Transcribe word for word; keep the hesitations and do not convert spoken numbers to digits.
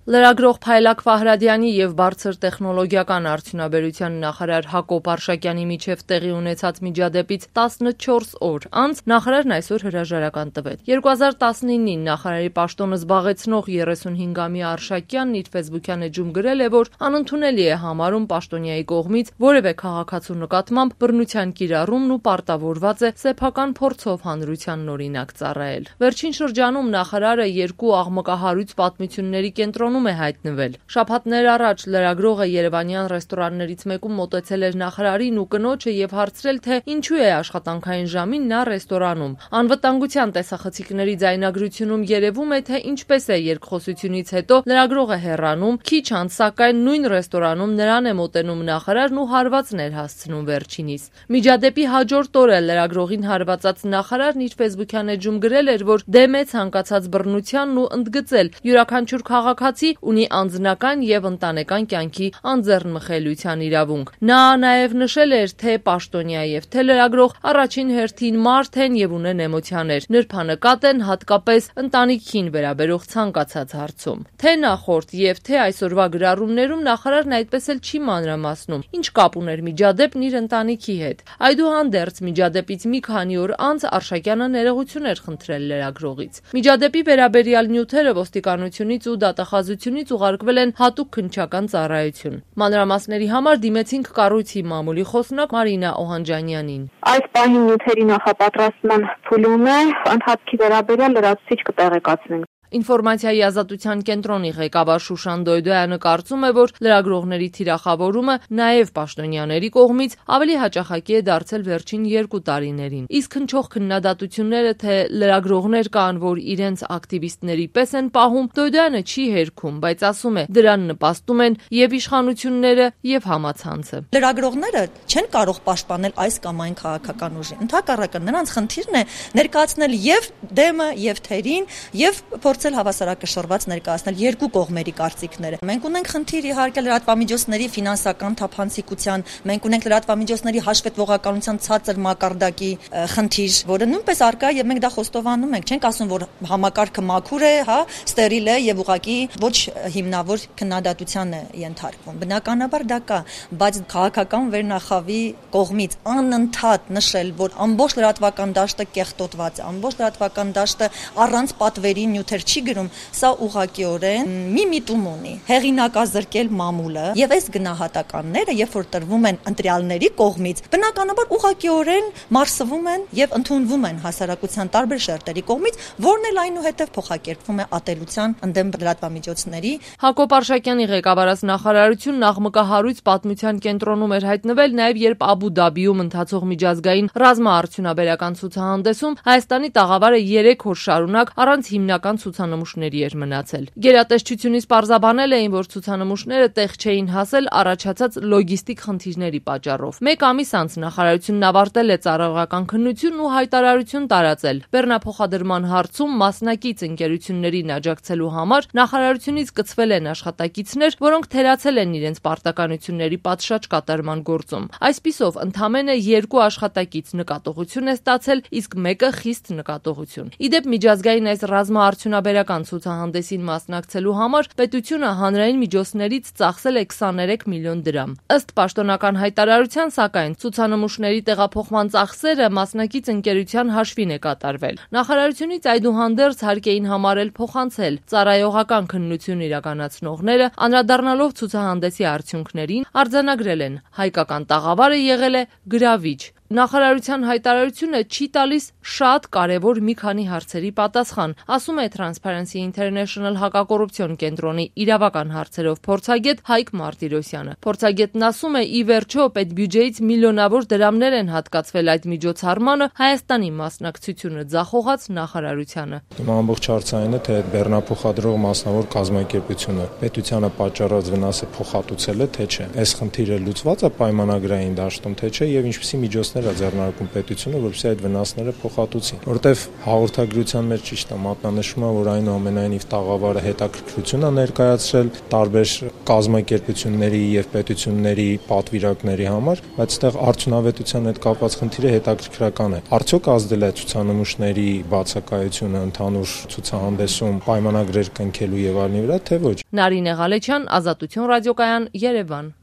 Լրագրող Փայլակ Ֆահրադյանի եւ բարձր տեխնոլոգիական արդյունաբերության նախարար Հակոբ Արշակյանի միջև տեղի ունեցած միջադեպից տասնչորս օր անց նախարարն այսօր հրաժարական տվեց։ երկու հազար տասնինին նախարարի պաշտոնը զբաղեցնող երեսունհինգամյա Արշակյանն իր ֆեյսբուքյան էջում գրել է, որ անընդունելի է համարում պաշտոնյայի կողմից որևէ քաղաքացու նկատմամբ բռնության կիրառումն ու պարտավորված է սեփական փորձով հանրությանն օրինակ ծառայել։ Վերջին շրջանում նախարարը երկու աղմկահարույց պատմությունների կենտրոնում է հայտնվել։ Շաբաթներ առաջ լրագրողը երևանյան ռեստորաններից մեկում մոտեցել էր նախարարին ու կնոջը եւ հարցրել, թե ինչու է աշխատանքային ժամին նա ռեստորանում։ Անվտանգության տեսախցիկների ձայնագրությունում երևում է, թե ինչպես է երկխոսությունից հետո լրագրողը հեռանում, քիչ անց սակայն նույն ռեստորանում նրան է մոտենում նախարարն ու հարվածներ հասցնում վերջինիս։ Միջադեպի հաջորդ օրը լրագրողին հարվածած նախարարն իր ֆեյսբուքյան էջում գրել էր, որ դեմ է ցանկացած բռնությանն ու ընդգծել յուրաքանչյուր քաղաքացի ունի անձնական եւ ընտանեկան կյանքի անձեռնմխելիության իրավունք։ Նա նաեւ նշել էր, թե պաշտոնյա եւ թե լրագրող առաջին հերթին մարդ են եւ ունեն էմոցիաներ, նրբանկատ են հատկապես ընտանիքին վերաբերող ցանկացած հարցում։ Թե նախորդ եւ թե այսօրվա գրառումներում նախարարն այդպես էլ չի մանրամասնում, ինչ կապ ուներ միջադեպն իր ընտանիքի հետ։ Այդուհանդերձ միջադեպից մի քանի օր անց Արշակյանը ներողություն էր խնդրել լրագրողից։ Միջադեպի վերաբերյալ նյութերը ոստիկանությունից ու դատախազությունից ուղարկվել են հատուկ քննչական ծառայություն։ Մանրամասների համար դիմեցինք կառույցի մամուլի խոսնակ Մարինա Օհանջանյանին։ Այս պահին նյութերի նախապատրաստման փուլում է, ընթացքի վերաբերյալ լրացուցիչ կտեղեկացնենք։ Ինֆորմացիայի ազատության կենտրոնի ղեկավար Շուշան Դոյդոյանը կարծում է, որ լրագրողների թիրախավորումը նաև պաշտոնյաների կողմից ավելի հաճախակի է դարձել վերջին երկու տարիներին։ Իսկ հնչող քննադատությունները, թե լրագրողներ կան, որ իրենց ակտիվիստների պես են պահում, Դոյդոյանը չի հերքում, բայց ասում է, դրան նպաստում են եւ իշխանությունները, եւ համացանցը։ Լրագրողները չեն կարող պաշտպանել այս կամ այն քաղաքական ուժի։ Ընդհակառակը նրանց խնդիրն է ներկայացնել եւ դեմը, եւ թերին, եւ փորձել հավասարակշռված ներկայացնել երկու կողմերի կարծիքները։ Մենք ունենք խնդիր իհարկե լրատվամիջոցների ֆինանսական թափանցիկության, մենք ունենք լրատվամիջոցների հաշվետվողականության ցածր մակարդակի խնդիր, որը նույնպես առկա է եւ մենք դա խոստովանում ենք։ Չենք ասում, որ համակարգը մաքուր է, հա, ստերիլ է եւ ուղղակի ոչ հիմնավոր քննադատության է ենթարկվում։ Բնականաբար դա կա, բայց քաղաքական վերնախավի կողմից անընդհատ նշել, որ ամբողջ լրատվական դաշտը կեղտոտված է, ամբողջ լրատվական դաշտը առանց պատվերի նյութեր չի գրում, սա ուղղակիորեն մի միտում ունի։ Հեղինակազրկել մամուլը եւ այս գնահատականները, երբ որ տրվում են ընտրյալների կողմից, բնականաբար ուղղակիորեն մարսվում են եւ ընդունվում են հասարակության տարբեր շերտերի կողմից, որն էլ այնուհետեւ փոխակերպվում է ատելության ընդդեմ լրատվամիջոցների։ Հակոբ Արշակյանի ղեկավարած նախարարությունն աղմկահարույց պատմության կենտրոնում էր հայտնվել նաեւ երբ Աբու Դաբիում ընթացող միջազգային ռազմաարդյունաբերական ցուցահանդեսում Հայաստանի տաղավարը երեք օր շարունակ առանց հիմնական ցուցանմուշների էր մնացել։ Գերատեսչությունից պարզաբանել էին, որ ցուցանմուշները տեղ չէին հասել առաջացած լոգիստիկ խնդիրների պատճառով։ Մեկ ամիս անց նախարարությունն ավարտել է ծառայողական քննությունն ու հայտարարություն տարածել։ Բեռնափոխադրման հարցում մասնակից ընկերություններին աջակցելու համար նախարարությունից կցվել են աշխատակիցներ, որոնք թերացել են իրենց պարտականությունների պատշաճ կատարման գործում։ Այսպիսով, ընդամենը երկու աշխատակից նկատողություն է ստացել, իսկ մեկը խիստ նկատողություն։ Իդեպ միջազգային այս ռազմաարդյունաբերական ցուցահանդեսին մասնակցելու համար պետությունը հանրային միջոցներից ծախսել է քսաներեք միլիոն դրամ։ Ըստ պաշտոնական հայտարարության, սակայն ցուցանմուշների տեղափոխման ծախսերը մասնակից ընկերության հաշվին է կատարվել։ Նախարարությունից այդուհանդերձ հարկ էին համարել փոխանցել ծառայողական քննություն իրականացնողները, անդրադառնալով ցուցահանդեսի արդյունքներին, արձանագրել են հայկական տաղավարը եղել է գրավիչ։ Նախարարության հայտարարությունը չի տալիս շատ կարևոր մի քանի հարցերի պատասխան, ասում է Transparency International հակակոռուպցիոն կենտրոնի իրավական հարցերով փորձագետ Հայկ Մարտիրոսյանը։ Փորձագետն ասում է, ի վերջո պետբյուջեից միլիոնավոր դրամներ են հատկացվել այդ միջոցառմանը, Հայաստանի մասնակցությունը ձախողած նախարարությանը։ Հիմա ամբողջ հարցային է, թե այդ բեռնափոխադրող մասնավոր կազմակերպությունը պետությանը պատճառած վնասը փոխհատուցել է, թե չէ։ Այս խնդիրը լուծված է պայմանագրային դաշտում, թե չէ, եւ ինչպիսի միջոցներ վնասներ է ձեռնարկում պետությունը, որպեսզի այդ վնասները փոխհատուցի։ Որտեվ հաղորդագրության մեջ ճիշտ է մատնանշում է, որ այնուամենայնիվ տաղավարը հետաքրքրություն է ներկայացրել տարբեր կազմակերպությունների եւ պետությունների պատվիրակների համար, բայց այդտեղ արդյունավետության հետ կապված խնդիրը հետաքրքրական է։ Արդյոք ազդել է ցուցանմուշների բացակայությունը ընդհանուր ցուցահանդեսում պայմանագրեր կնքելու եւ այլնի վրա, թե ոչ։ Նարինե Ղալեչյան, Ազատություն ռադիոկայան, Երևան։